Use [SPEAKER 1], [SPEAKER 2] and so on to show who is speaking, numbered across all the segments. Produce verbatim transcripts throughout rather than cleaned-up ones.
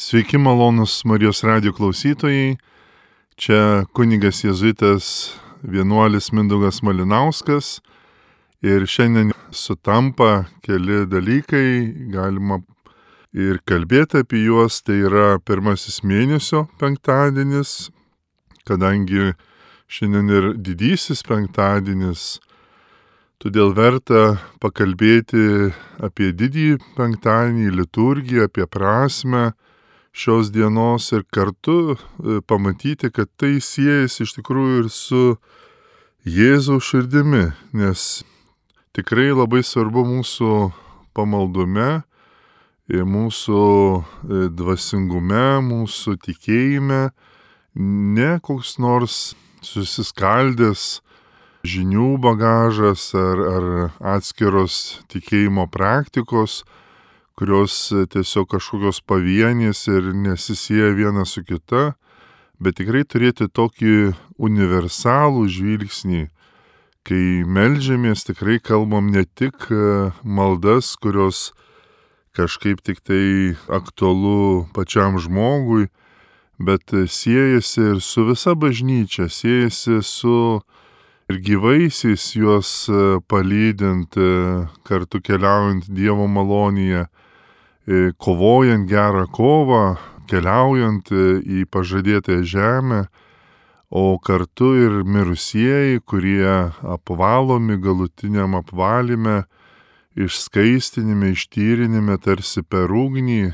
[SPEAKER 1] Sveiki malonus Marijos radijo klausytojai, čia kunigas jėzuitas vienuolis Mindaugas Malinauskas ir šiandien sutampa keli dalykai, galima ir kalbėti apie juos, tai yra pirmasis mėnesio penktadienis, kadangi šiandien ir didysis penktadienis, todėl verta pakalbėti apie didįjį penktadienį, liturgiją, apie prasmę šios dienos ir kartu pamatyti, kad tai siejasi iš tikrųjų ir su Jėzaus širdimi, nes tikrai labai svarbu mūsų pamaldume, mūsų dvasingume, mūsų tikėjime, ne koks nors susiskaldęs žinių bagažas ar, ar atskiros tikėjimo praktikos, kurios tiesiog kažkokios pavienės ir nesisieja viena su kita, bet tikrai turėti tokį universalų žvilgsnį, kai meldžiamės, tikrai kalbam ne tik maldas, kurios kažkaip tik tai aktualu pačiam žmogui, bet siejasi ir su visa bažnyčia, siejasi su ir gyvaisiais juos palydint, kartu keliaujant Dievo malonėje, kovojant gerą kovą, keliaujant į pažadėtąją žemę, o kartu ir mirusieji, kurie apvalomi galutiniam apvalyme, išskaistinime, ištyrinime tarsi per ugnį,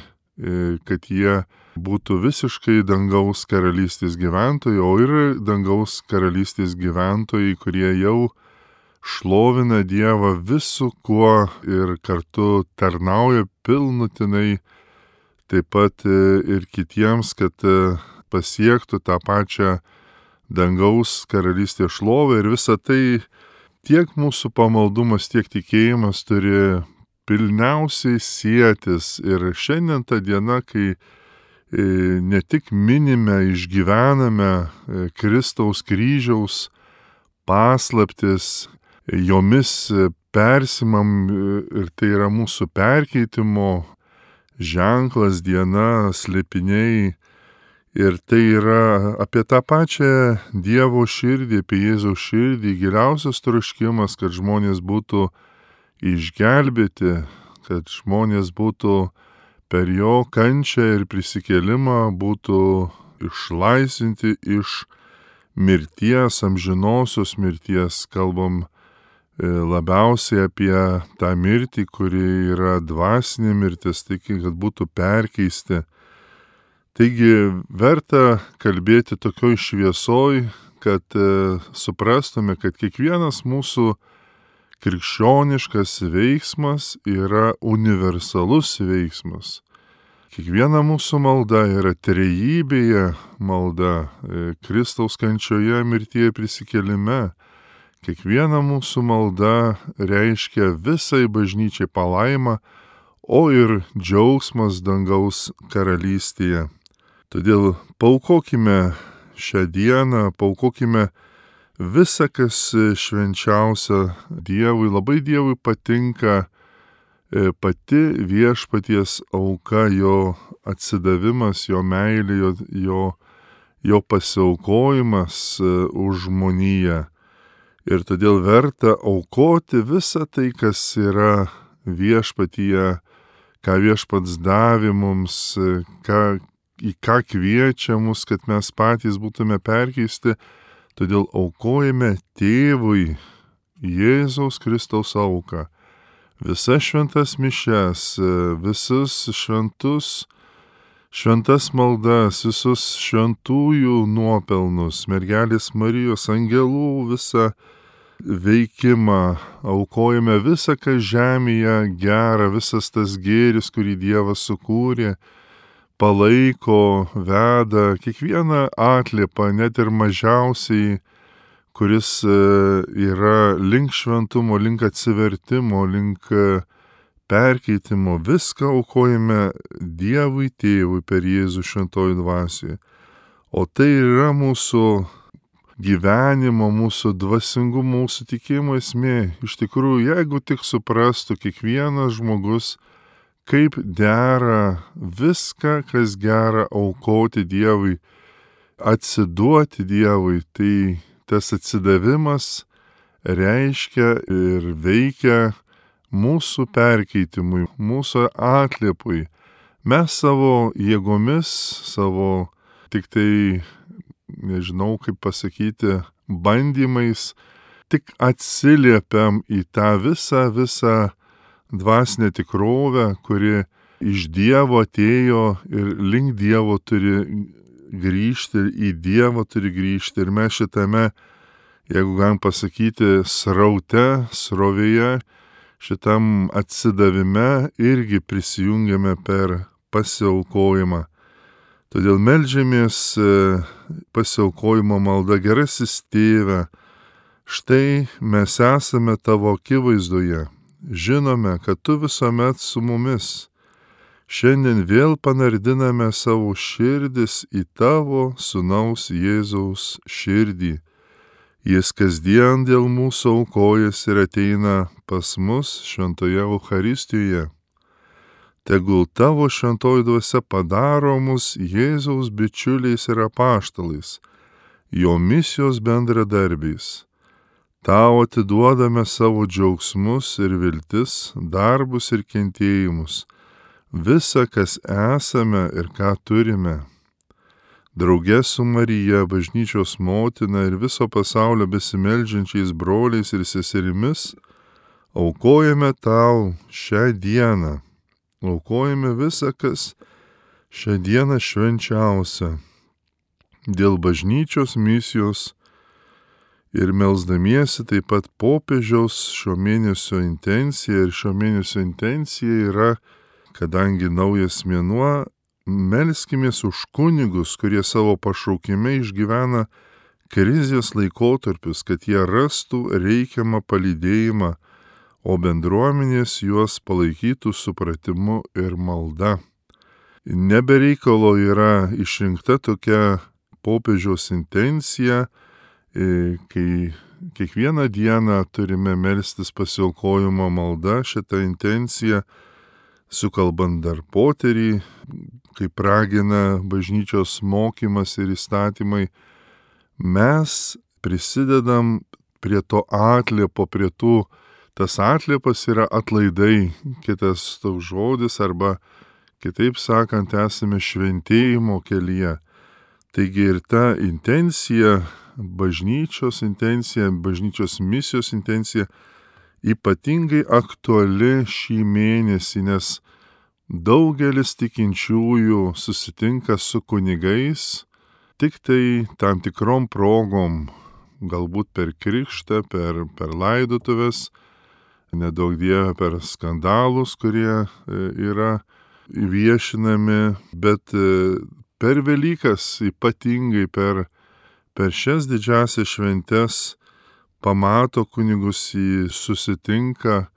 [SPEAKER 1] kad jie būtų visiškai dangaus karalystės gyventojai, o ir dangaus karalystės gyventojai, kurie jau šlovina Dievą visu kuo ir kartu tarnauja pilnutinai, taip pat ir kitiems, kad pasiektų tą pačią dangaus karalystės šlovę, ir visa tai tiek mūsų pamaldumas, tiek tikėjimas turi pilniausiai sietis. Ir šiandien ta diena, kai ne tik minime, išgyvename Kristaus kryžiaus paslaptis, jomis persimam, ir tai yra mūsų perkeitimo ženklas, diena, slėpiniai, ir tai yra apie tą pačią Dievo širdį, apie Jėzaus širdį, giliausias troškimas, kad žmonės būtų išgelbėti, kad žmonės būtų per jo kančią ir prisikėlimą būtų išlaisvinti iš mirties, amžinosios mirties. Kalbam labiausiai apie tą mirtį, kuri yra dvasinė mirtis, taigi, kad būtų perkeisti. Taigi, verta kalbėti tokioj šviesoj, kad e, suprastume, kad kiekvienas mūsų krikščioniškas veiksmas yra universalus veiksmas. Kiekviena mūsų malda yra trejybėje malda, e, Kristaus kančioje, mirtyje, prisikėlime. Kiekviena mūsų malda reiškia visai bažnyčiai palaimą, o ir džiaugsmas dangaus karalystėje. Todėl paaukokime šią dieną, paaukokime visą, kas švenčiausia Dievui. Labai Dievui patinka pati viešpaties auka, jo atsidavimas, jo meilė, jo, jo, jo pasiaukojimas už žmoniją. Ir todėl verta aukoti visą tai, kas yra viešpatyje, ką viešpats davė mums, ką, į ką kviečia mus, kad mes patys būtume perkeisti. Todėl aukojame Tėvui Jėzaus Kristaus auką. Visas šventas mišias, visus šventus, šventas maldas, visus šventųjų nuopelnus, mergelės Marijos, angelų visą veikimą, aukojame visą, kas žemėje gera, visas tas gėris, kurį Dievas sukūrė, palaiko, veda, kiekvieną atliepą, net ir mažiausiai, kuris yra link šventumo, link atsivertimo, link perkeitimo, viską aukojame Dievui Tėvui per Jėzų šventojų dvasioje. O tai yra mūsų gyvenimo, mūsų dvasingumo, mūsų tikėjimo esmė. Iš tikrųjų, jeigu tik suprastų kiekvienas žmogus, kaip dera viską, kas gera, aukoti Dievui, atsiduoti Dievui. Tai tas atsidavimas reiškia ir veikia mūsų perkeitimui, mūsų atliepui. Mes savo jėgomis, savo tik tai, nežinau kaip pasakyti, bandymais, tik atsiliepiam į tą visą, visą dvasinę tikrovę, kuri iš Dievo atėjo ir link Dievo turi grįžti, ir į Dievą turi grįžti. Ir mes šitame, jeigu galim pasakyti, sraute, srovėje, šitam atsidavime irgi prisijungiame per pasiaukojimą. Todėl meldžiamės pasiaukojimo malda: Gerasis Tėve, štai mes esame Tavo akivaizdoje, žinome, kad Tu visuomet su mumis. Šiandien vėl panardiname savo širdis į Tavo Sūnaus Jėzaus širdį. Jis kasdien dėl mūsų aukojasi ir ateina pas mus šventoje Eucharistijoje. Tegul Tavo šventoji dvasia padaro mus Jėzaus bičiuliais ir apaštalais, jo misijos bendradarbiais. Tau atiduodame savo džiaugsmus ir viltis, darbus ir kentėjimus, visa, kas esame ir ką turime. Drauge su Marija, bažnyčios motina ir viso pasaulio besimeldžiančiais broliais ir seserimis, aukojame Tau šią dieną. Aukojame visą, kas šią dieną švenčiausia. Dėl bažnyčios misijos ir melsdamiesi taip pat popiežiaus šio mėnesio intencija. Ir šio mėnesio intencija yra, kadangi naujas mėnuo, melskimės už kunigus, kurie savo pašaukime išgyvena krizės laikotarpius, kad jie rastų reikiamą palydėjimą, o bendruomenės juos palaikytų supratimu ir malda. Nebereikalo yra išrinkta tokia popiežiaus intencija, kai kiekvieną dieną turime melstis pasiaukojimo malda, šitą intenciją sukalbant dar poterį, kaip ragina bažnyčios mokymas ir įstatymai. Mes prisidedam prie to atliepo, prie tų, tas atliepas yra atlaidai, kitas toks žodis, arba kitaip sakant, esame šventėjimo kelyje. Taigi ir ta intencija, bažnyčios intencija, bažnyčios misijos intencija ypatingai aktuali šį mėnesį, nes daugelis tikinčiųjų susitinka su kunigais tik tai tam tikrom progom, galbūt per krikštą, per, per laidotuves, nedaug Dieve per skandalus, kurie yra viešinami, bet per Velykas, ypatingai per, per šias didžiasias šventes, pamato kunigus, jį susitinka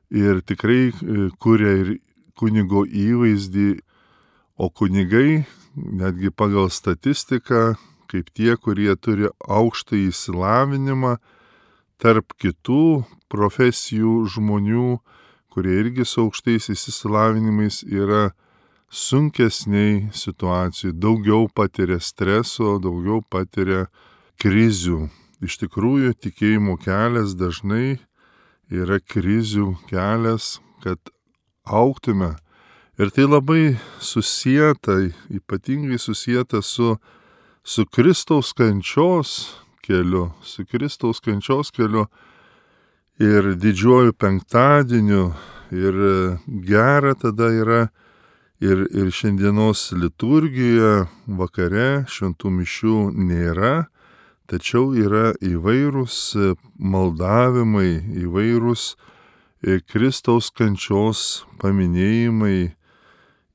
[SPEAKER 1] ir tikrai kuria ir kunigo įvaizdį, o kunigai, netgi pagal statistiką, kaip tie, kurie turi aukštą įsilavinimą, tarp kitų profesijų žmonių, kurie irgi su aukštais įsilavinimais yra sunkesniai situacijų, daugiau patiria streso, daugiau patiria krizių. Iš tikrųjų, tikėjimo kelias dažnai yra krizių kelias, kad augtume. Ir tai labai susieta, ypatingai susieta su, su Kristaus kančios keliu, su Kristaus kančios keliu ir didžiuoju penktadieniu. Ir gera tada yra ir, ir šiandienos liturgijoje vakare šventų mišių nėra, tačiau yra įvairūs maldavimai, įvairūs Kristaus kančios paminėjimai.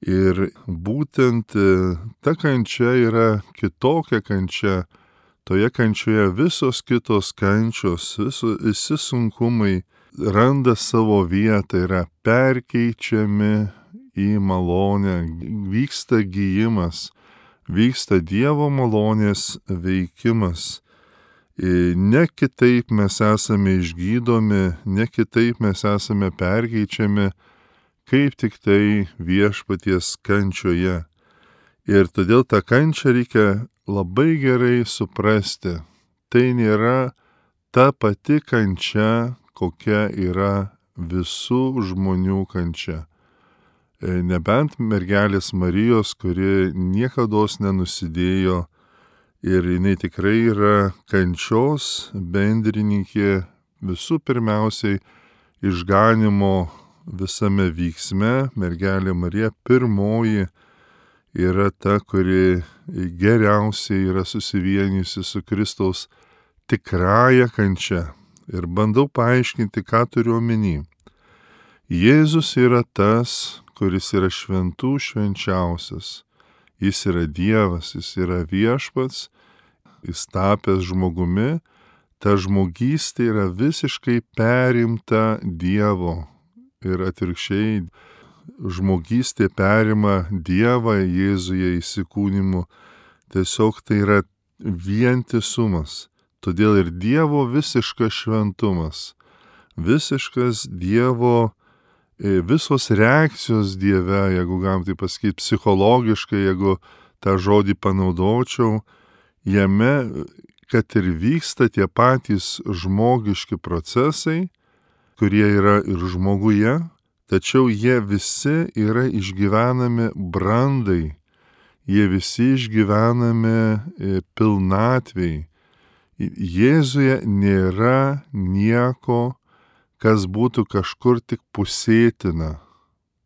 [SPEAKER 1] Ir būtent ta kančia yra kitokia kančia. Toje kančioje visos kitos kančios, viso, visi sunkumai randa savo vietą, yra perkeičiami į malonę, vyksta gijimas, vyksta Dievo malonės veikimas. Ne kitaip mes esame išgydomi, ne kitaip mes esame perkeičiami, kaip tik tai viešpaties kančioje. Ir todėl tą kančią reikia labai gerai suprasti. Tai nėra ta pati kančia, kokia yra visų žmonių kančia. Nebent mergelės Marijos, kuri niekados nenusidėjo ir jinai tikrai yra kančios bendrininkė visų pirmiausiai išganimo visame vyksme. Mergelė Marija pirmoji yra ta, kuri geriausiai yra susivienijusi su Kristaus tikrąja kančia. Ir bandau paaiškinti, ką turiu omeny. Jėzus yra tas, kuris yra šventų švenčiausias. Jis yra Dievas, jis yra viešpats, jis tapęs žmogumi. Ta žmogystė yra visiškai perimta Dievo. Ir atvirkščiai žmogystė perima Dievą Jėzuje įsikūnimu. Tiesiog tai yra vientisumas. Todėl ir Dievo visiškas šventumas, visiškas Dievo, visos reakcijos Dieve, jeigu galim tai pasakyti psichologiškai, jeigu tą žodį panaudočiau, jame, kad ir vyksta tie patys žmogiški procesai, kurie yra ir žmoguje, tačiau jie visi yra išgyvenami brandai, jie visi išgyvenami pilnatvei. Jėzuje nėra nieko, kas būtų kažkur tik pusėtina,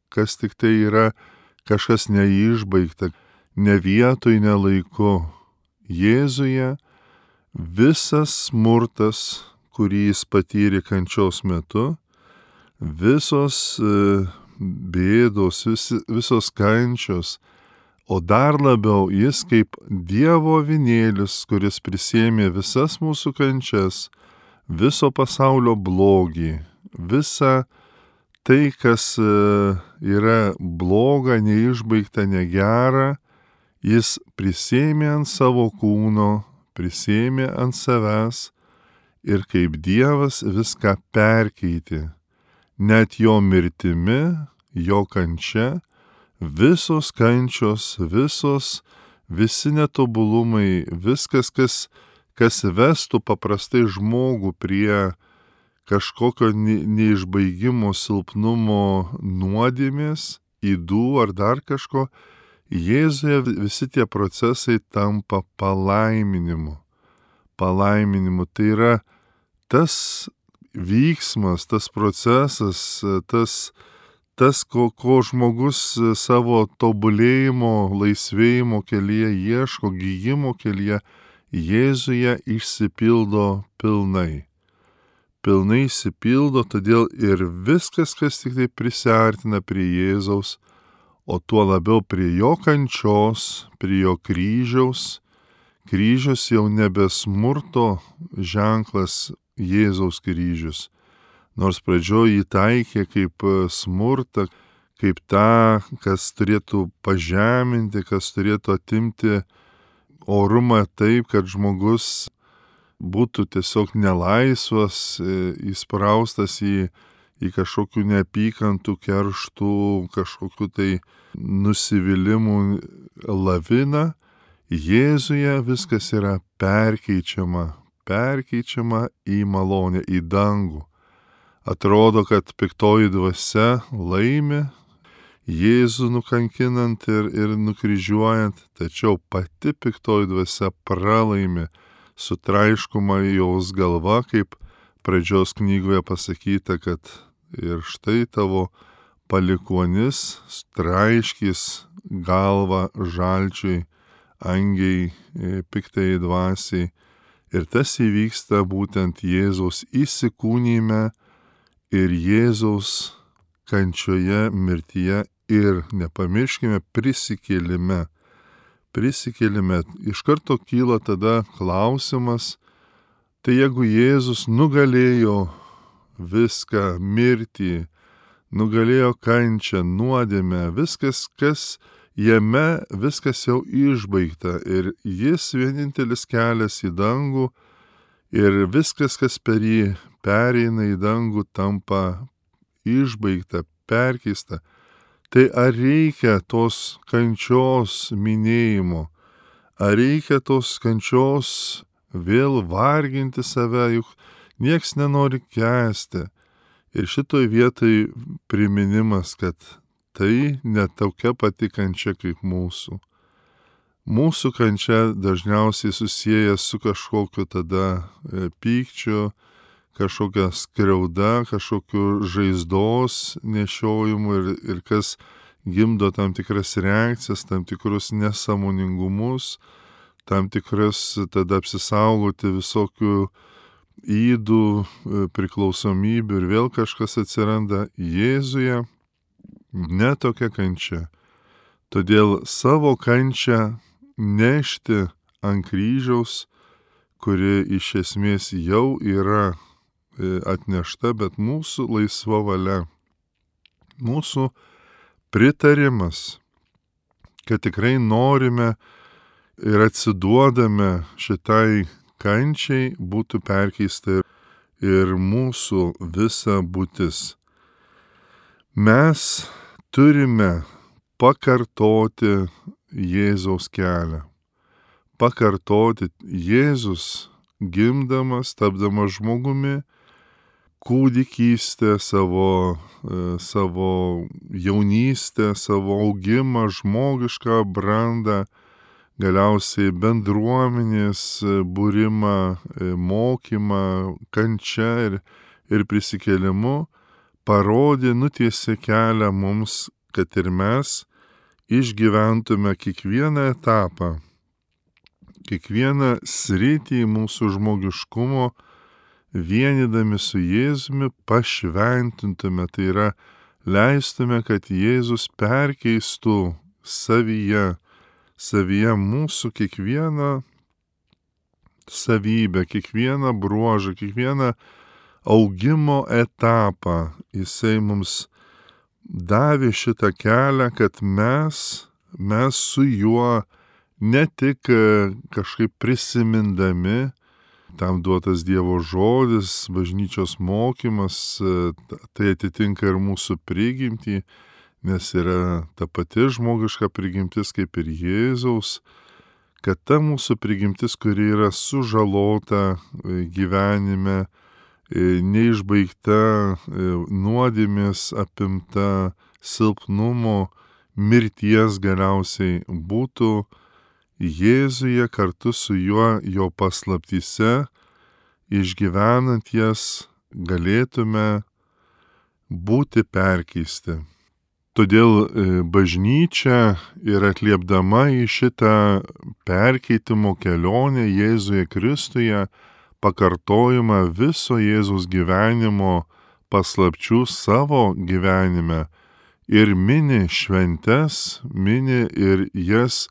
[SPEAKER 1] kas tik tai yra kažkas neišbaigta, ne vietoj, ne laiku. Jėzuje visas smurtas, kurį jis patyrė kančios metu, visos bėdos, vis, visos kančios, o dar labiau jis kaip Dievo avinėlis, kuris prisėmė visas mūsų kančias, viso pasaulio blogį, visą tai, kas yra bloga, neišbaigta, negera, jis prisėmė ant savo kūno, prisėmė ant savęs ir kaip Dievas viską perkeitė. Net jo mirtimi, jo kančia, visos kančios, visos, visi netobulumai, viskas, kas, kas vestų paprastai žmogų prie kažkokio neišbaigimo, silpnumo, nuodėmės, ydų ar dar kažko, Jėzuje visi tie procesai tampa palaiminimu. Palaiminimu. Tai yra tas vyksmas, tas procesas, tas Tas, ko, ko žmogus savo tobulėjimo, laisvėjimo kelyje ieško, gyjimo kelyje, Jėzuje išsipildo pilnai. Pilnai išsipildo, todėl ir viskas, kas tik tai prisiartina prie Jėzaus, o tuo labiau prie jo kančios, prie jo kryžiaus. Kryžius jau nebe smurto ženklas Jėzaus kryžius. Nors pradžioje jį taikė kaip smurtą, kaip tą, kas turėtų pažeminti, kas turėtų atimti orumą taip, kad žmogus būtų tiesiog nelaisvas, įspraustas į, į kažkokių neapykantų, kerštų, kažkokių tai nusivylimų laviną. Jėzuje viskas yra perkeičiama, perkeičiama į malonę, į dangų. Atrodo, kad piktoji dvasia laimi Jėzų nukankinant ir, ir nukryžiuojant, tačiau pati piktoji dvasia pralaimi, sutraiškoma jos galva, kaip pradžios knygoje pasakyta, kad ir štai tavo palikuonis traiškys galvą žalčiui, angiai, piktai dvasiai. Ir tas įvyksta būtent Jėzaus įsikūnyme ir Jėzaus kančioje, mirtyje ir nepamirškime prisikėlime. Prisikėlime. Iš karto kyla tada klausimas, tai jeigu Jėzus nugalėjo viską, mirtį, nugalėjo kančią, nuodėmę, viskas, kas jame, viskas jau išbaigta ir jis vienintelis kelias į dangų ir viskas, kas per jį pereina į dangų, tampa išbaigta, perkeista. Tai ar reikia tos kančios minėjimo? Ar reikia tos kančios vėl varginti save, juk nieks nenori kęsti. Ir šitoj vietoj priminimas, kad tai ne tokia pati kančia kaip mūsų. Mūsų kančia dažniausiai susijęs su kažkokiu tada pykčiu, kažkokia skriauda, kažkokiu žaizdos nešiojimu ir, ir kas gimdo tam tikras reakcijas, tam tikrus nesąmoningumus, tam tikras tada apsisaugoti visokių ydų, priklausomybių ir vėl kažkas atsiranda. Jėzuje ne tokia kančia. Todėl savo kančią nešti ant kryžiaus, kuri iš esmės jau yra atnešta, bet mūsų laisva valia, mūsų pritarimas, kad tikrai norime ir atsiduodame šitai kančiai, būtų perkeista ir mūsų visa būtis. Mes turime pakartoti Jėzaus kelią. Pakartoti Jėzus gimdamas, tapdamas žmogumi, kūdikystę, savo, savo jaunystę, savo augimą, žmogišką brandą, galiausiai bendruomenės būrimą, mokymą, kančią ir, ir prisikėlimu parodė, nutiesė kelią mums, kad ir mes išgyventume kiekvieną etapą, kiekvieną sritį mūsų žmogiškumo, vienydami su Jėzumi pašventintume, tai yra leistume, kad Jėzus perkeistų savyje, savyje mūsų kiekvieną savybę, kiekvieną bruožą, kiekvieną augimo etapą. Jisai mums davė šitą kelią, kad mes, mes su juo ne tik kažkaip prisimindami, tam duotas Dievo žodis, bažnyčios mokymas, tai atitinka ir mūsų prigimtį, nes yra ta pati žmogiška prigimtis kaip ir Jėzaus, kad ta mūsų prigimtis, kuri yra sužalota gyvenime, neišbaigta, nuodėmės apimta, silpnumo, mirties galiausiai būtų Jėzuje kartu su juo, jo paslaptyse, išgyvenant jas, galėtume būti perkeisti. Todėl bažnyčia ir atliepdama į šitą perkeitimo kelionę Jėzuje Kristuje, pakartojimą viso Jėzaus gyvenimo paslapčių savo gyvenime ir mini šventes, mini ir jas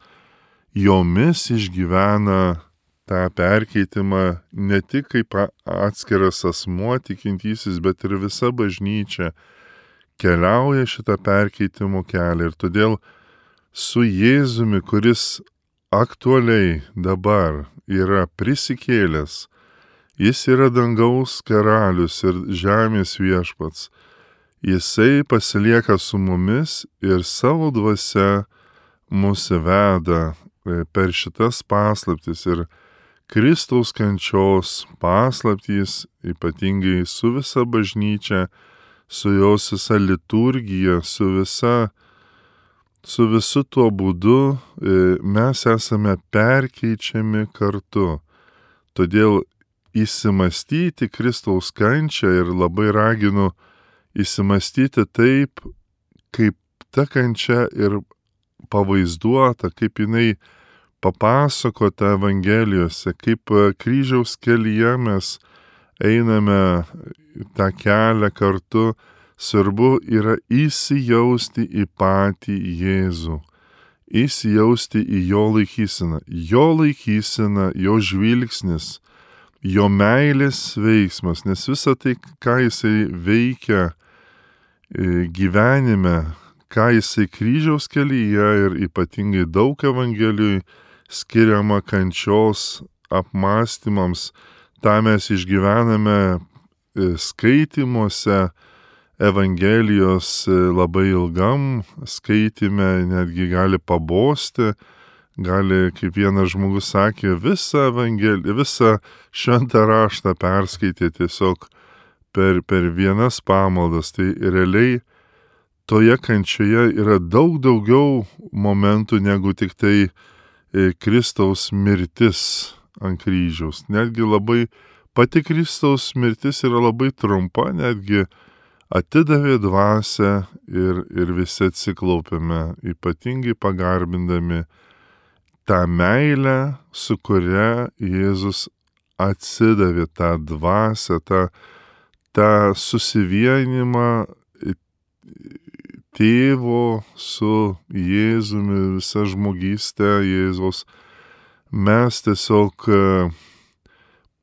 [SPEAKER 1] jomis išgyvena tą perkeitimą ne tik kaip atskiras asmuo tikintysis, bet ir visa bažnyčia keliauja šitą perkeitimo kelią. Ir todėl su Jėzumi, kuris aktualiai dabar yra prisikėlęs, jis yra dangaus karalius ir žemės viešpats. Jisai pasilieka su mumis ir savo dvasia mus veda per šitas paslaptis ir Kristaus kančios paslaptys, ypatingai su visa bažnyčia, su jos visa liturgija, su visa, su visu tuo būdu mes esame perkeičiami kartu. Todėl įsimastyti Kristaus kančią ir labai raginu įsimastyti taip, kaip ta kančia ir pavaizduota, kaip jinai papasakota Evangelijose, kaip kryžiaus kelyje mes einame tą kelią kartu. Svarbu yra įsijausti į patį Jėzų, įsijausti į jo laikyseną, jo laikysena, jo žvilgsnis, jo meilės veiksmas, nes visa tai, ką jisai veikia gyvenime, ką jisai kryžiaus kelyje ir ypatingai daug Evangelijui skiriama kančios apmąstymams, tą mes išgyvename skaitymuose Evangelijos labai ilgam skaitime netgi gali pabosti, gali, kaip vienas žmogus sakė, visą evangeliją, visą šventą raštą perskaitė tiesiog per, per vienas pamaldas. Tai realiai toje kančioje yra daug daugiau momentų negu tik tai Kristaus mirtis ant kryžiaus. Netgi labai pati Kristaus mirtis yra labai trumpa, netgi atidavė dvasią ir, ir visi atsiklaupėme, ypatingai pagarbindami tą meilę, su kuria Jėzus atsidavė, tą dvasią, tą, tą susivienimą tėvo su Jėzumi, visa žmogystė Jėzaus. Mes tiesiog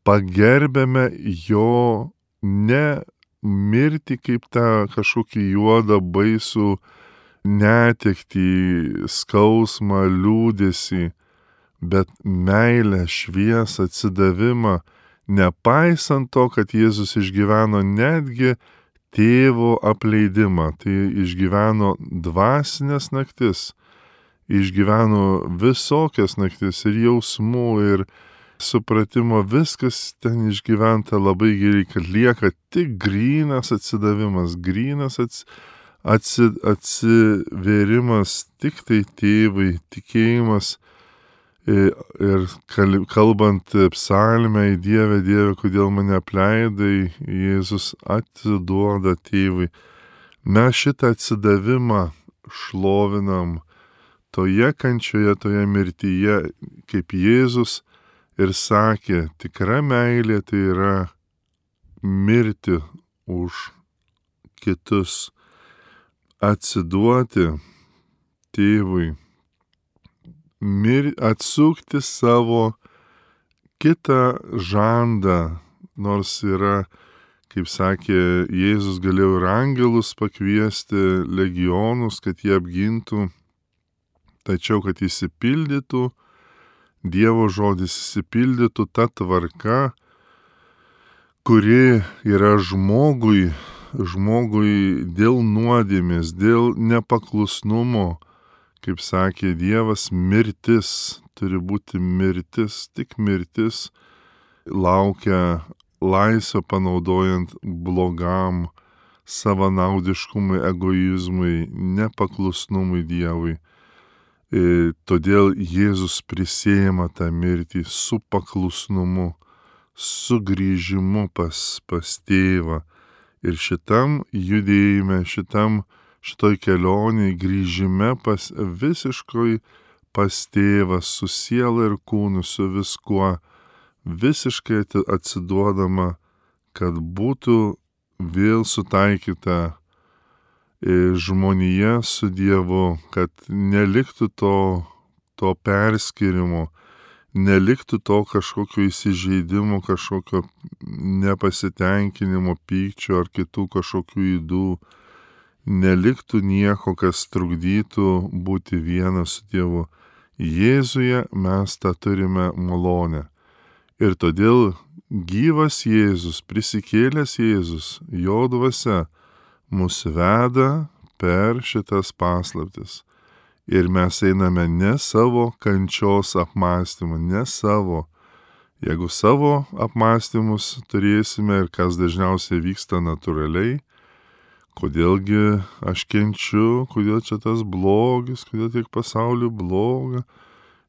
[SPEAKER 1] pagerbėme jo ne mirti kaip tą kažkokį juodą baisų netektį, skausmą, liūdesį, bet meilę, šviesą, atsidavimą, nepaisant to, kad Jėzus išgyveno netgi tėvo apleidimą, tai išgyveno dvasinės naktis, išgyveno visokias naktis ir jausmų, ir supratimo, viskas ten išgyventa labai gerai, kad lieka tik grynas atsidavimas, grynas ats, atsi, atsivėrimas tik tai tėvai, tikėjimas ir kalbant psalmę, į Dievę, Dieve, kodėl mane apleidai, Jėzus atiduoda tėvui. Mes šitą atsidavimą šlovinam toje kančioje, toje mirtyje, kaip Jėzus ir sakė, tikra meilė tai yra mirti už kitus, atsiduoti tėvui, mir, atsukti savo kitą žandą, nors yra, kaip sakė, Jėzus galėjo ir angelus pakviesti, legionus, kad jie apgintų, tačiau kad įsipildytų Dievo žodis, įsipildytų ta tvarka, kuri yra žmogui, žmogui dėl nuodėmės, dėl nepaklusnumo, kaip sakė Dievas, mirtis, turi būti mirtis, tik mirtis laukia laisvę panaudojant blogam, savanaudiškumui, egoizmui, nepaklusnumui Dievui. E, todėl Jėzus prisėjama tą mirtį su paklusnumu, su grįžimu pas, pas tėvą. Ir šitam judėjime, šitam, šitoj kelionėj, grįžime pas visiškai pas tėvą, su siela ir kūnu, su viskuo, visiškai atsiduodama, kad būtų vėl sutaikyta žmonija su Dievu, kad neliktų to, to perskirimo, neliktų to kažkokio įsižeidimo, kažkokio nepasitenkinimo, pykčio ar kitų kažkokių ydų, neliktų nieko, kas trukdytų būti vienas su Dievu. Jėzuje mes tą turime malonę. Ir todėl gyvas Jėzus, prisikėlęs Jėzus, jo dvasia, mus veda per šitas paslaptis. Ir mes einame ne savo kančios apmąstymą, ne savo. Jeigu savo apmąstymus turėsime ir kas dažniausiai vyksta natūraliai, kodėlgi aš kenčiu, kodėl čia tas blogis, kodėl tiek pasauliu bloga.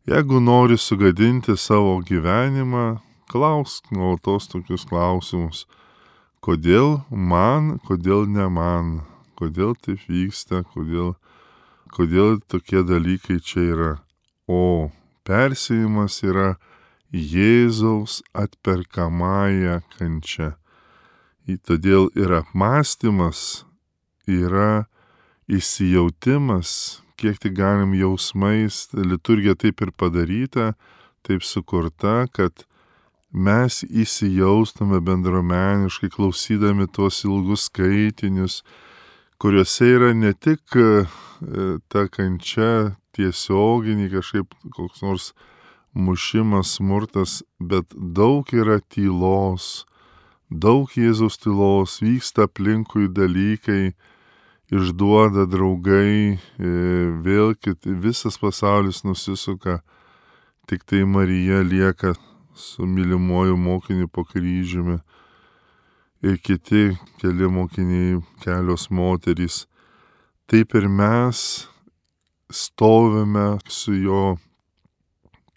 [SPEAKER 1] Jeigu nori sugadinti savo gyvenimą, klausk nuolatos tokius klausimus. Kodėl man, kodėl ne man, kodėl taip vyksta, kodėl, kodėl tokie dalykai čia yra. O persėjimas yra Jėzaus atperkamąją kančią. Todėl ir apmąstymas yra įsijautimas, kiek tik galim jausmais, liturgija taip ir padaryta, taip sukurta, kad mes įsijaustume bendruomeniškai, klausydami tuos ilgus skaitinius, kuriuose yra ne tik ta kančia tiesioginį, kažkaip koks nors mušimas, smurtas, bet daug yra tylos, daug Jėzaus tylos, vyksta aplinkui dalykai, išduoda draugai, vėl kit, visas pasaulis nusisuka, tik tai Marija lieka su mylimuoju mokiniu po kryžiumi ir kiti keli mokiniai, kelios moterys. Taip ir mes stovime su jo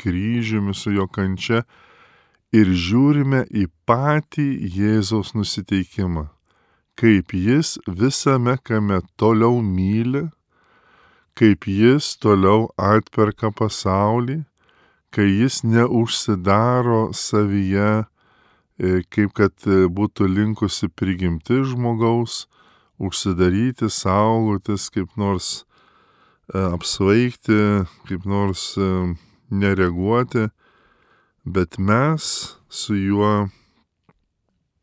[SPEAKER 1] kryžiumi, su jo kančia ir žiūrime į patį Jėzaus nusiteikimą, kaip jis visame kame toliau myli, kaip jis toliau atperka pasaulį, kai jis neužsidaro savyje, kaip kad būtų linkusi prigimti žmogaus, užsidaryti, saugotis, kaip nors apsvaigti, kaip nors nereaguoti, bet mes su juo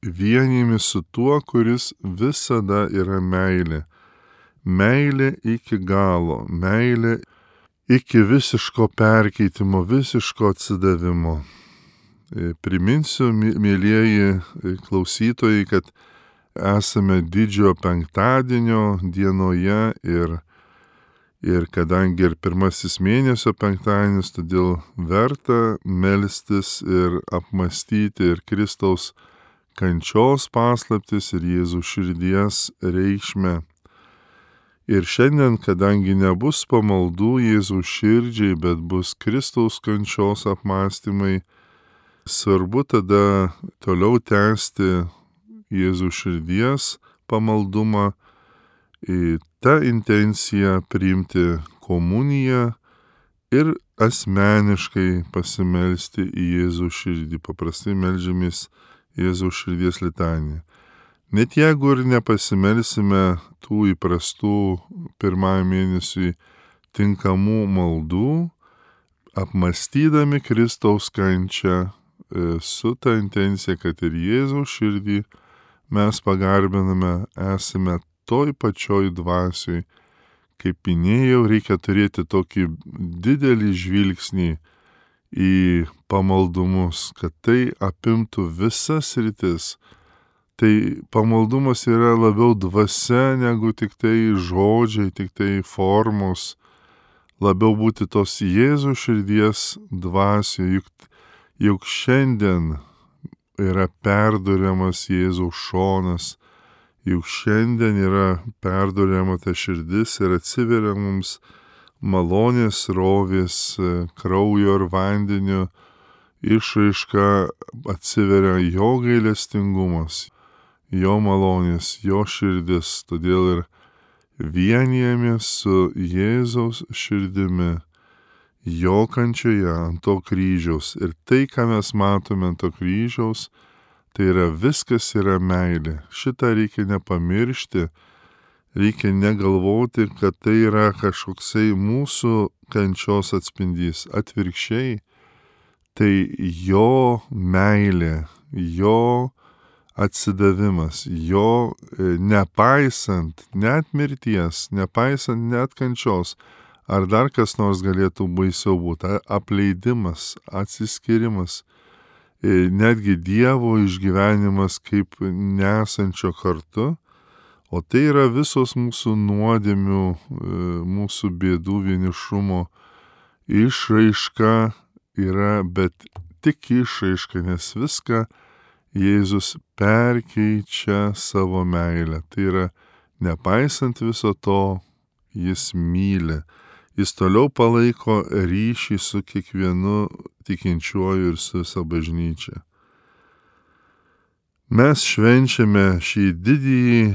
[SPEAKER 1] vienijami su tuo, kuris visada yra meilė. Meilė iki galo, meilė iki visiško perkeitimo, visiško atsidavimo. Priminsiu, mėlieji klausytojai, kad esame didžiojo penktadienio dienoje ir Ir kadangi ir pirmasis mėnesio penktadienis, todėl verta melstis ir apmastyti ir Kristaus kančios paslaptis ir Jėzaus širdies reikšmę. Ir šiandien, kadangi nebus pamaldų Jėzaus širdžiai, bet bus Kristaus kančios apmąstymai, svarbu tada toliau tęsti Jėzaus širdies pamaldumą, į tą intenciją priimti komuniją ir asmeniškai pasimelsti į Jėzaus širdį. Paprastai meldžiamės Jėzaus širdies litaniją. Net jeigu ir nepasimelsime tų įprastų pirmąjį mėnesiui tinkamų maldų, apmastydami Kristaus kančią su ta intencija, kad ir Jėzaus širdį mes pagarbiname, esame toj pačioj dvasioj. Kaip minėjau, reikia turėti tokį didelį žvilgsnį į pamaldumus, kad tai apimtų visas sritis. Tai pamaldumas yra labiau dvasia negu tik tai žodžiai, tik tai formos. Labiau būti tos Jėzaus širdies dvasioje, juk, juk šiandien yra perduriamas Jėzaus šonas, juk šiandien yra perduriama ta širdis ir atsiveria mums malonės rovės, kraujo ir vandenio išraiška, atsiveria jo gailestingumas, jo malonės, jo širdis. Todėl ir vienijamės su Jėzaus širdimi, jo kančioje ant to kryžiaus. Ir tai, ką mes matome ant to kryžiaus, tai yra viskas yra meilė. Šitą reikia nepamiršti, reikia negalvoti, kad tai yra kažkoksai mūsų kančios atspindys. Atvirkščiai, tai jo meilė, jo atsidavimas, jo nepaisant net mirties, nepaisant net kančios, ar dar kas nors galėtų baisiau būti, apleidimas, atsiskirimas, netgi Dievo išgyvenimas kaip nesančio kartu, o tai yra visos mūsų nuodėmių, mūsų bėdų, vienišumo išraiška yra, bet tik išraiška, nes viską Jėzus perkeičia savo meilę. Tai yra, nepaisant viso to, jis myli. Jis toliau palaiko ryšį su kiekvienu tikinčiuoju ir su visa bažnyčia. Mes švenčiame šį didįjį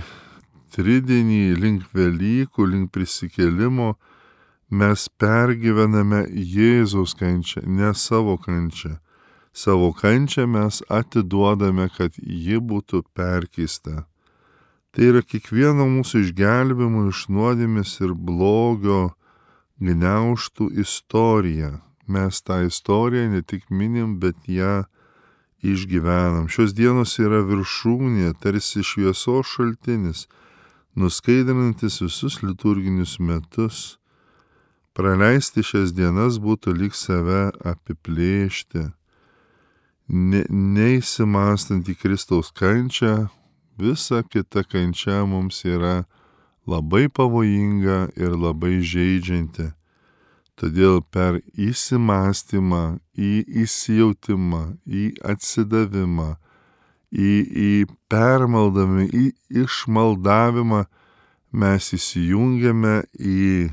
[SPEAKER 1] tridienį link Velykų, link prisikėlimo. Mes pergyvename Jėzaus kančią, ne savo kančią. Savo kančią mes atiduodame, kad ji būtų perkeista. Tai yra kiekvieno mūsų išgelbėjimo iš nuodėmės ir blogio gniaužtų istorija. Mes tą istoriją ne tik minim, bet ją išgyvenam. Šios dienos yra viršūnė, tarsi šviesos šaltinis, nuskaidrinantis visus liturginius metus. Praleisti šias dienas būtų lyg save apiplėšti. ne, neįsimastant į Kristaus kančią, visa kita kančia mums yra labai pavojinga ir labai žeidžianti. Todėl per įsimastymą, į įsijautimą, į atsidavimą, į, į permaldavimą, į išmaldavimą mes įsijungiame į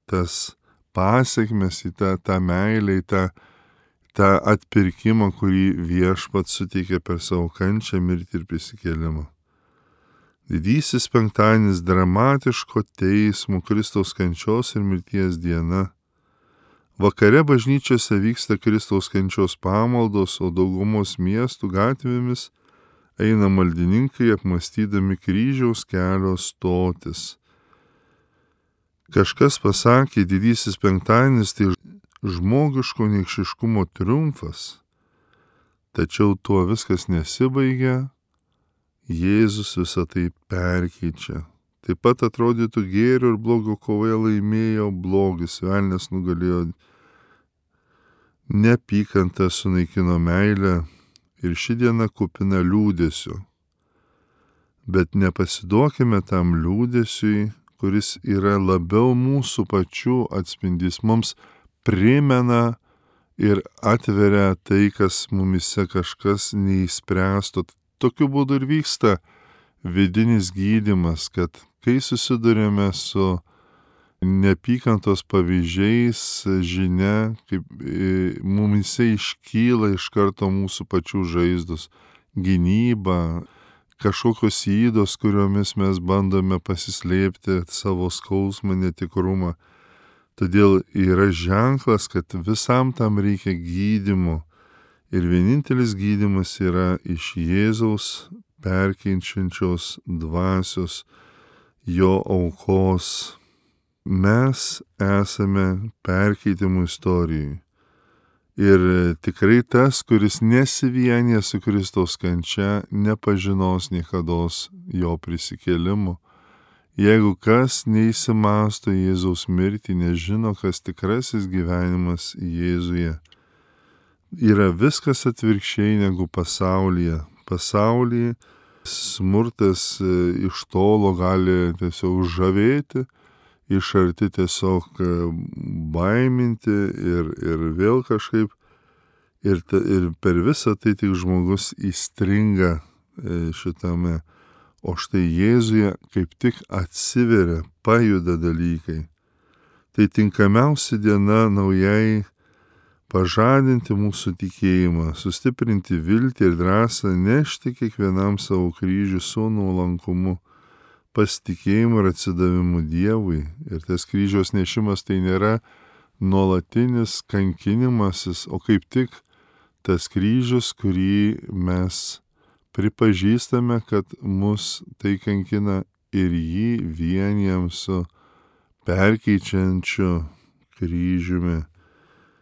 [SPEAKER 1] tas pasiekmes, į tą, tą meilę, į tą, tą atpirkimą, kurį Viešpats suteikė per savo kančią, mirtį ir prisikėlimą. Didysis penktadienis dramatiško teismo Kristaus kančios ir mirties diena. Vakare bažnyčiose vyksta Kristaus kančios pamaldos, o daugumos miestų gatvėmis eina maldininkai apmąstydami kryžiaus kelio stotis. Kažkas pasakė, didysis penktadienis tai žmogiško niekšiškumo triumfas. Tačiau tuo viskas nesibaigia, Jėzus visą tai perkeičia. Taip pat atrodytų gėrio ir blogio kovoje laimėjo blogis, velnias nugalėjo, neapykantą sunaikino meilę ir ši diena kupina liūdesio. Bet nepasiduokime tam liūdesiui, kuris yra labiau mūsų pačių atspindys, mums primena ir atveria tai, kas mumise kažkas neįspręsto. Tokiu būdu ir vyksta vidinis gydymas, kad kai susidurėme su neapykantos pavyzdžiais, žinia, kaip mumise iškyla iš karto mūsų pačių žaizdos, gynyba, kažkokios įdos, kuriomis mes bandome pasislėpti savo skausmą, netikrumą. Todėl yra ženklas, kad visam tam reikia gydymo. Ir vienintelis gydymas yra iš Jėzaus perkeičiančios dvasios, jo aukos. Mes esame perkeitimų istorijai. Ir tikrai tas, kuris nesivienė su Kristaus kančia, nepažinos niekados jo prisikėlimo. Jeigu kas neįsimasto Jėzaus mirtį, nežino, kas tikrasis gyvenimas Jėzuje. Yra viskas atvirkščiai negu pasaulyje. Pasaulyje smurtas iš tolo gali tiesiog žavėti, iš arti tiesiog baiminti ir, ir vėl kažkaip. Ir, ta, ir per visą tai tik žmogus įstringa šitame. O štai Jėzuje kaip tik atsiveria, pajuda dalykai. Tai tinkamiausia diena naujai pažadinti mūsų tikėjimą, sustiprinti viltį ir drąsą, nešti kiekvienam savo kryžių su nuolankumu, pasitikėjimu ir atsidavimu Dievui. Ir tas kryžiaus nešimas tai nėra nuolatinis kankinimasis, o kaip tik tas kryžius, kurį mes pripažįstame, kad mus tai kankina ir jį vienijam su perkeičiančiu kryžiumi.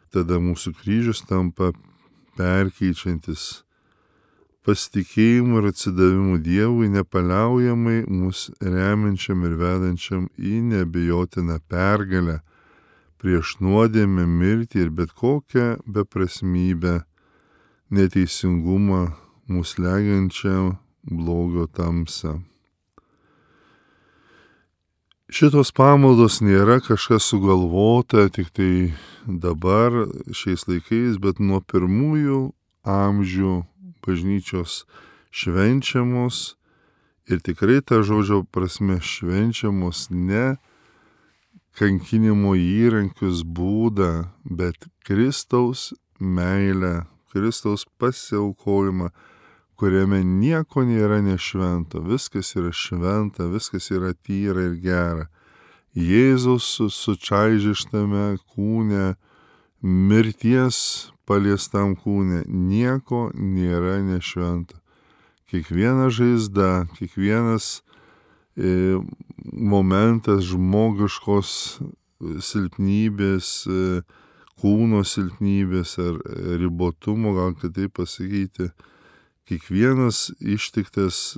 [SPEAKER 1] Tada mūsų kryžius tampa perkeičiantis pasitikėjimu ir atsidavimu Dievui, nepaliaujamai mus remiančiam ir vedančiam į neabejotiną pergalę prieš nuodėmę, mirtį ir bet kokią beprasmybę, neteisingumą, mus legiančią blogio tamsą. Šitos pamaldos nėra kažkas sugalvota tik tai dabar, šiais laikais, bet nuo pirmųjų amžių bažnyčios švenčiamos ir tikrai ta žodžio prasme švenčiamos ne kankinimo įrankius būdą, bet Kristaus meilę, Kristaus pasiaukojimą, kuriame nieko nėra nešvento, viskas yra šventa, viskas yra tyra ir gera. Jėzus sučaižyštame kūne, mirties paliestam kūne, nieko nėra nešvento. Kiekviena žaizda, kiekvienas e, momentas žmogiškos silpnybės, e, kūno silpnybės ar ribotumo, gal kitaip pasakyti, kiekvienas ištiktas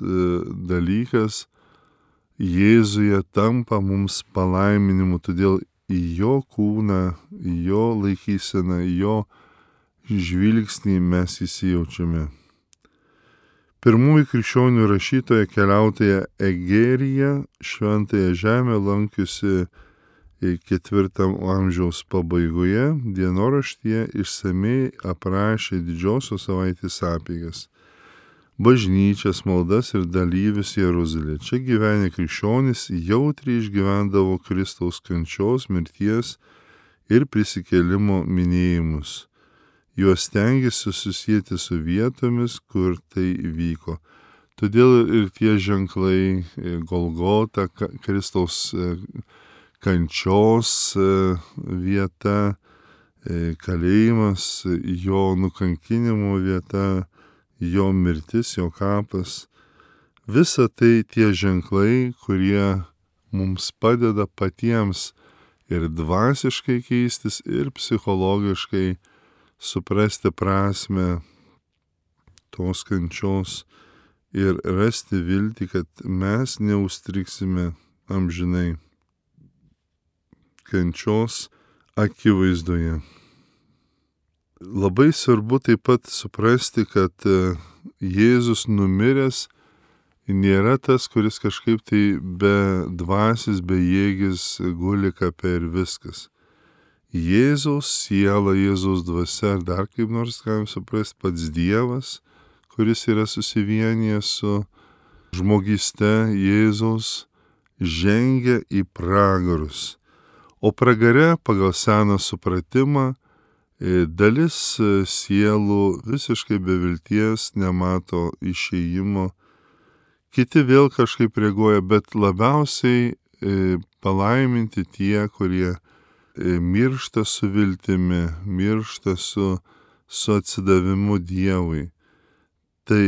[SPEAKER 1] dalykas Jėzuje tampa mums palaiminimu, todėl į jo kūną, į jo laikyseną, į jo žvilgsnį mes įsijaučiame. Pirmųjų krikščionių rašytoja keliautoja Egerija šventąją žemę lankiusi ketvirtam amžiaus pabaigoje dienoraštyje išsamei aprašė didžiosios savaitės apeigas, bažnyčias, maldas ir dalyvius Jeruzalėje. Čia gyvenę krikščionys jautriai išgyvendavo Kristaus kančios, mirties ir prisikėlimo minėjimus. Juos stengiasi susijęti su vietomis, kur tai vyko. Todėl ir tie ženklai Golgota, Kristaus kančios vieta, kalėjimas, jo nukankinimo vieta, jo mirtis, jo kapas. Visa tai tie ženklai, kurie mums padeda patiems ir dvasiškai keistis, ir psichologiškai suprasti prasme tos kančios ir rasti viltį, kad mes neužstriksime amžinai kančios akivaizdoje. Labai svarbu taip pat suprasti, kad Jėzus numiręs nėra tas, kuris kažkaip tai be dvasis, be jėgis guli kape ir viskas. Jėzaus siela, Jėzaus dvasia, ar dar kaip nors galim suprasti, pats Dievas, kuris yra susivienijęs su žmogyste Jėzaus, žengia į pragarus. O pragare pagal seną supratimą dalis sielų visiškai be vilties nemato išėjimo, kiti vėl kažkaip reaguoja, bet labiausiai palaiminti tie, kurie miršta su viltimi, miršta su, su atsidavimu Dievui. Tai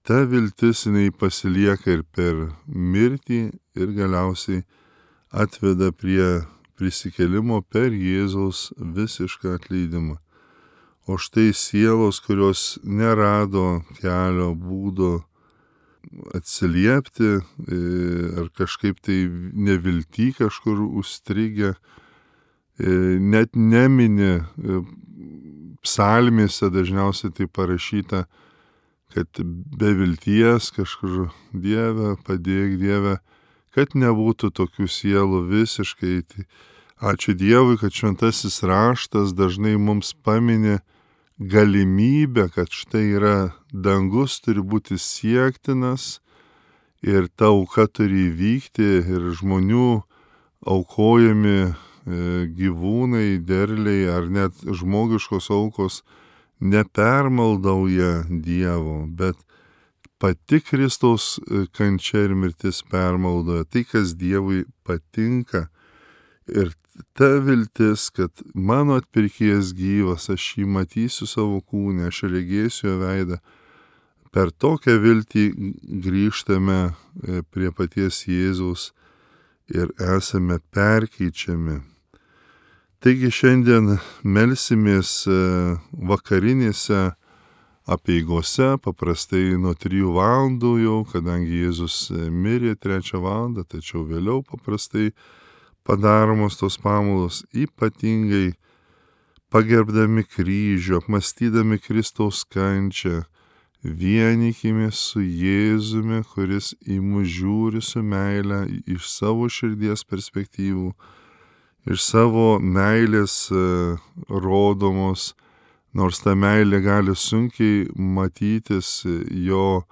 [SPEAKER 1] ta viltis jinai pasilieka ir per mirtį ir galiausiai atveda prie prisikėlimo per Jėzaus visišką atleidimą. O štai sielos, kurios nerado kelio būdo atsiliepti ar kažkaip tai nevilty kažkur užstrigę, net nemini psalmėse dažniausiai tai parašyta, kad be vilties kažkur Dieve, padėk Dieve, kad nebūtų tokių sielų visiškai. Tai ačiū Dievui, kad šventasis raštas dažnai mums paminė galimybę, kad štai yra dangus turi būti siektinas ir ta auka turi įvykti ir žmonių aukojami gyvūnai, derliai ar net žmogiškos aukos nepermaldauja Dievo, bet pati Kristaus kančia ir mirtis permaldoja tai, kas Dievui patinka. Ir ta viltis, kad mano atpirkėjas gyvas, aš jį matysiu savo kūne, aš regėsiu jo veidą. Per tokią viltį grįžtame prie paties Jėzaus ir esame perkeičiami. Taigi šiandien melsimės vakarinėse apeigose, paprastai nuo trijų valandų jau, kadangi Jėzus mirė trečią valandą, tačiau vėliau paprastai padaromos tos pamaldos, ypatingai pagerbdami kryžių, apmąstydami Kristaus kančią, vienykimės su Jėzumi, kuris į mus žiūri su meile iš savo širdies perspektyvų, iš savo meilės rodomos, nors ta meilė gali sunkiai matytis jo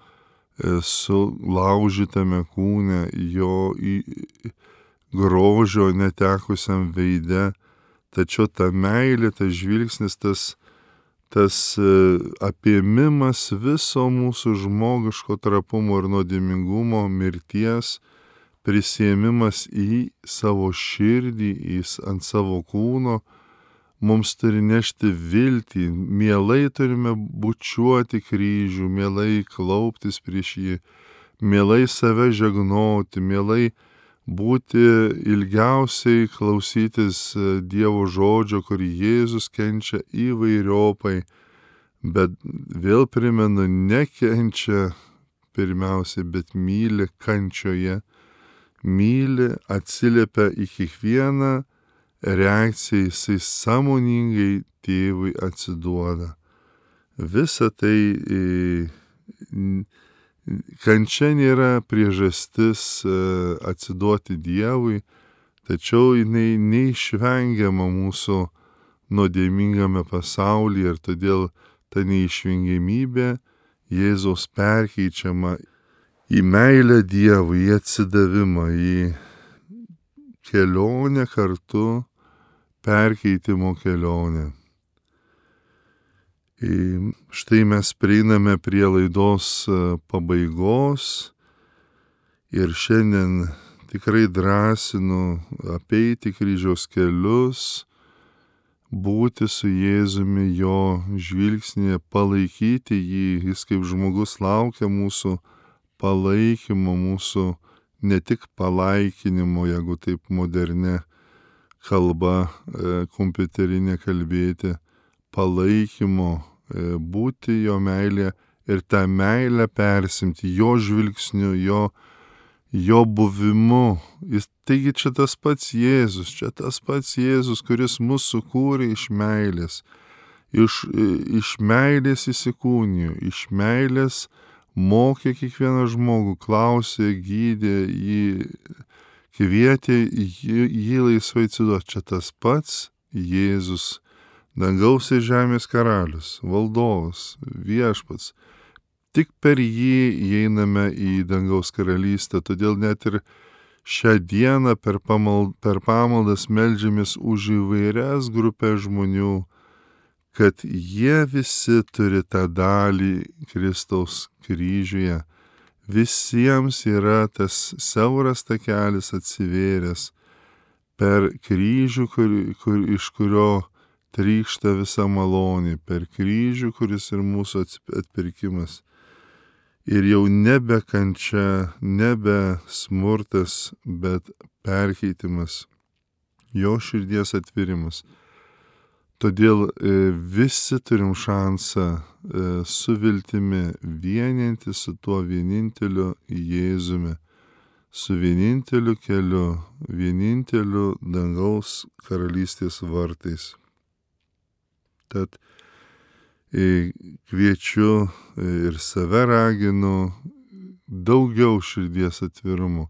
[SPEAKER 1] sulaužytame kūne, jo grožio netekusiam veide, tačiau ta meilė, tas žvilgsnis, tas, tas apėmimas viso mūsų žmogiško trapumo ir nuodėmingumo, mirties, prisiėmimas į savo širdį, į, ant savo kūno, mums turi nešti viltį, mielai turime bučiuoti kryžių, mielai klauptis prieš jį, mielai save žegnoti, mielai būti ilgiausiai klausytis Dievo žodžio, kur Jėzus kenčia įvairiopai, bet vėl primenu, nekenčia pirmiausiai, bet myli kančioje, myli, atsiliepia į kiekvieną reakciją, jisai sąmoningai tėvui atsiduoda. visa tai kančia nėra priežastis atsiduoti Dievui, tačiau jinai neišvengiama mūsų nuodėmingame pasaulyje ir todėl ta neišvengiamybė Jėzaus perkeičiama į meilę Dievui, į atsidavimą, į kelionę kartu, perkeitimo kelionę. Ir štai mes prieiname prie laidos pabaigos ir šiandien tikrai drąsinu apeiti kryžiaus kelius, būti su Jėzumi, jo žvilgsnėje, palaikyti jį. Jis kaip žmogus laukia mūsų palaikymo, mūsų ne tik palaikinimo, jeigu taip modernė kalba kompiuterinė kalbėti, palaikymo, būti jo meilė ir tą meilę persimti jo žvilgsniu, jo, jo buvimu. Jis, taigi čia tas pats Jėzus, čia tas pats Jėzus, kuris mus sukūrė iš meilės. Iš, iš meilės įsikūnijo, iš meilės mokė kiekvieną žmogų, klausė, gydė, jį kvietė jį, jį laisvai atsiduoti. Čia tas pats Jėzus, dangaus ir žemės karalius, valdovas, viešpats. Tik per jį įeiname į dangaus karalystę, todėl net ir šią dieną per, pamald, per pamaldas meldžiamės už įvairias grupės žmonių, kad jie visi turi tą dalį Kristaus kryžiuje. Visiems yra tas siauras takelis atsivėręs per kryžių, kur, kur, iš kurio trykšta visa malonė, per kryžių, kuris ir mūsų atpirkimas. Ir jau nebe kančia, nebe smurtas, bet perkeitimas, jo širdies atvirimas. Todėl visi turim šansą su viltimi vieninti su tuo vieninteliu Jėzumi, su vieninteliu keliu, vieninteliu dangaus karalystės vartais. Tad kviečiu ir save raginu daugiau širdies atvirumo,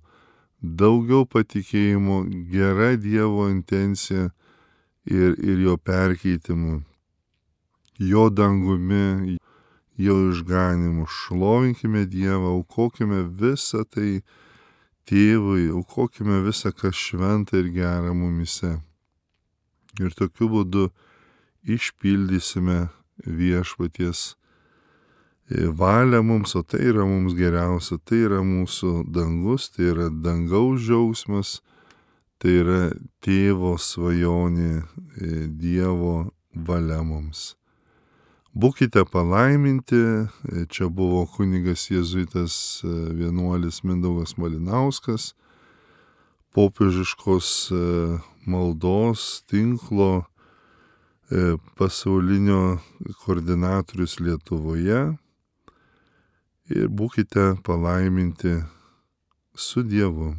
[SPEAKER 1] daugiau patikėjimo gera Dievo intencija ir, ir jo perkeitimu, jo dangumi, jo išganimu. Šlovinkime Dievą, aukokime visą tai Tėvui, aukokime visą, kas šventa ir gera mumise. Ir tokiu būdu išpildysime viešpaties valią mums, o tai yra mums geriausia, tai yra mūsų dangus, tai yra dangaus džiaugsmas, tai yra Tėvo svajonė, Dievo valia mums. Būkite palaiminti, čia buvo kunigas jėzuitas vienuolis Mindaugas Malinauskas, popiežiškos maldos tinklo pasaulinio koordinatorius Lietuvoje, ir būkite palaiminti su Dievu.